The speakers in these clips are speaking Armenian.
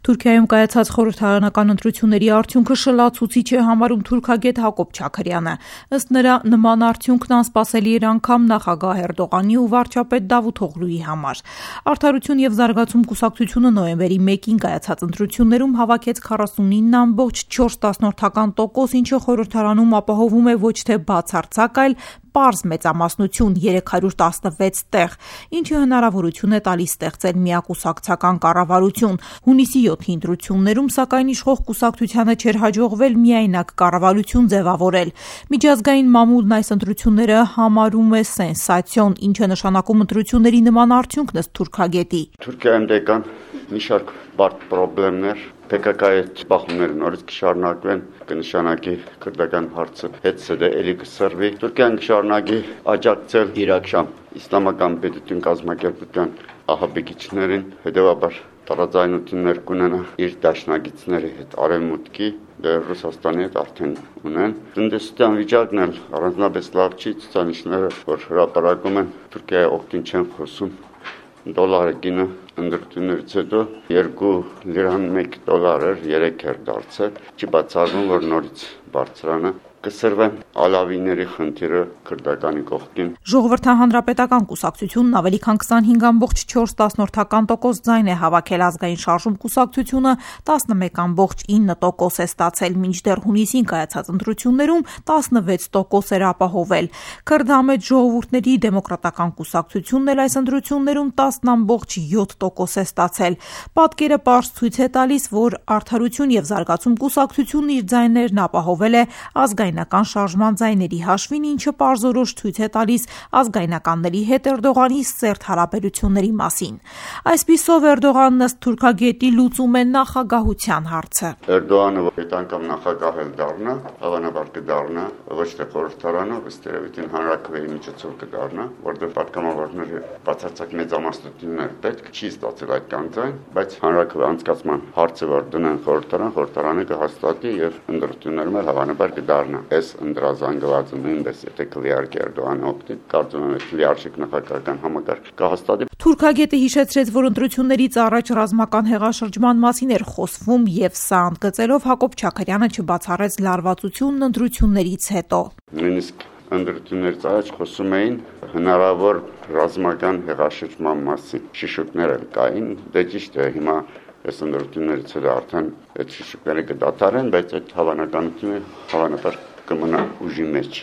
Թուրքիայում կայացած խորհրդարանական ընտրությունների արդյունքը շլացուցիչ է համարում թուրքագետ Հակոբ Չաքրյանը։ Ըստ նրա, նման արդյունքն անսպասելի էր անգամ նախագահ Էրդողանի ու վարչապետ Դավութօղլուի համար։ Արդարություն եւ զարգացում կուսակցությունը նոյեմբերի 1-ին կայացած ընտրություններում հավաքեց 49.4%, ինչը խորհրդարանում ապահովում է ոչ թե բացարձակ, այլ պարզ մեծամասնություն 316 տեղ, ինչը հնարավորություն է տալիս ստեղծել միակուսակցական կառավարություն։ Հունիսի 7-ի ընտրություններում, սակայն, իշխող կուսակցությանը չէր հաջողվել միայնակ կառավարություն ձևավորել։ Միջազգային մամուլն այս ընտրությունները համարում է սենսացիոն, ինչը նշանակում ընտրությունների նման արդյունքն ըստ թուրքագետի։ Թուրքիայում դեկան մի շարք բարդ խնդիրներ, PKK-ի բախումները նորից կշարունակվեն, կնշանակի քրդական հարցը հետ էլի կսրվի։ Թուրքիան կշարունակի աջակցել Իրաքշամ իսլամական պետություն կազմակերպության ահաբեկիչներին, հետևաբար տարաձայնություններ կունենա իր դաշնակիցների հետ արևմուտքի, Ռուսաստանի հետ արդեն ունեն։ Տնտեսության վիճակն էլ առանձնապես լավ չի, ցուցանիշները, որ հրապարակում են, Թուրքիայի օգտին չեն խոսում։ Դոլարը գինը ընտրություններից հետո 2 լիրան 1 դոլար էր, 3 էր դարձել։ Չի բացառվում, որ նորից բարձրանա կսրվեն ալավիների խնդիրը քրդականի կողքին։ Ժողովրդահանրապետական կուսակցությունն ավելի քան 25.4% ձայն է հավաքել, ազգային շարժում կուսակցությունը 11.9% է ստացել, մինչդեռ հունիսին կայացած ընտրություններում 16% էր ապահովել։ Քրդամետ ժողովուրդների դեմոկրատական կուսակցությունն էլ այս ընտրություններում 10.7% է ստացել։ Պատկերը պարզ ցույց է տալիս, որ Արդարություն եւ զարգացում կուսակցությունն իր ձայներն ապահովել է ազգայնական շարժման ձայների հաշվին, ինչը պարզորոշ ցույց է տալիս ազգայնականների հետ Էրդողանի սերտ հարաբերությունների մասին։ Այսպիսով Էրդողանն ըստ թուրքագետի լուծում է նախագահության հարցը։ Էրդողանը այդ անգամ նախագահ էլ դառնա, հավանաբար կդառնա, ոչ թե խորհրդարանով, ըստ երևույթին հանրաքվեի միջոցով կդառնա, որտեղ պատգամավորները բացարձակ մեծամասնություններ պետք չի ստացել այդ կանձայն, բայց հանրաքվե անցկացման հարցը որ դնեն խորհրդարանը կհաստատի եւ ընտրություններում էլ հավանաբար կդառնա։ Այս ընդրազանգվածը նույնպես եթե կլիարքի Էրդողանի օգտին, կարծում եմ լիարժեք նախագահական համակարգ կհաստատի։ Թուրքագետը հիշեցրեց, որ ընտրություններից առաջ ռազմական հեղաշրջման մասին էր խոսվում եւ սա ընդգծելով Հակոբ Չաքրյանը չբացառեց լարվածությունն ընտրություններից հետո։ Նույնիսկ ընտրություններից առաջ խոսում էին հնարավոր ռազմական հեղաշրջման մասին։ Շիշուկներ էլ կային, դե ճիշտ է, հիմա այս ընտրություններից հետո արդեն այդ շիշուկները կդադարեն, բայց այդ հավանականությունը հավանաբար կմնա ուժի մեջ։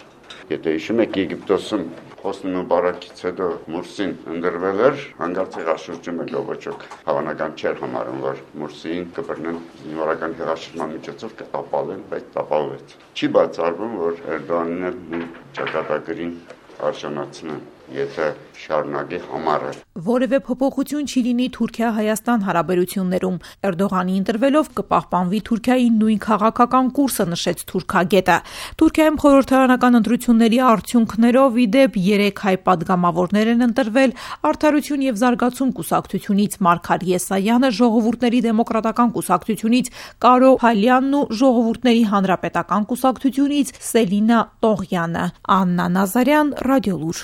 Եթե հիշում եք Եգիպտոսում Հոսնի Մուբարաքից հետո Մուրսին ընտրվել էր, հանկարծ հեղաշրջում է գոբոչոք։ Հավանական չէր համարում, որ Մուրսիին կբռնեն զինվորական հեղաշրջման միջոցով կտապալեն, բայց տապալվեց։ Չի բացառվում, որ Էրդողանն էլ մի ճակատագրին արժանացնեն, եթե շարունակի համառը։ Որևէ փոփոխություն չի լինի Թուրքիա-Հայաստան հարաբերություններում։ Էրդողանի ընտրվելով կպահպանվի Թուրքիայի նույն քաղաքական կուրսը, նշեց թուրքագետը։ Թուրքիայում խորհրդարանական ընտրությունների արդյունքներով ի դեպ 3 հայ պատգամավորներ են ընտրվել Արդարություն եւ զարգացում կուսակցությունից Մարգար Եսայանը, Ժողովուրդների դեմոկրատական կուսակցությունից Կարո Փալյանն ու Ժողովուրդների հանրապետական կուսակցությունից Սելինա Տողյանը։ Աննա Նազարյան, Ռադիոլուր։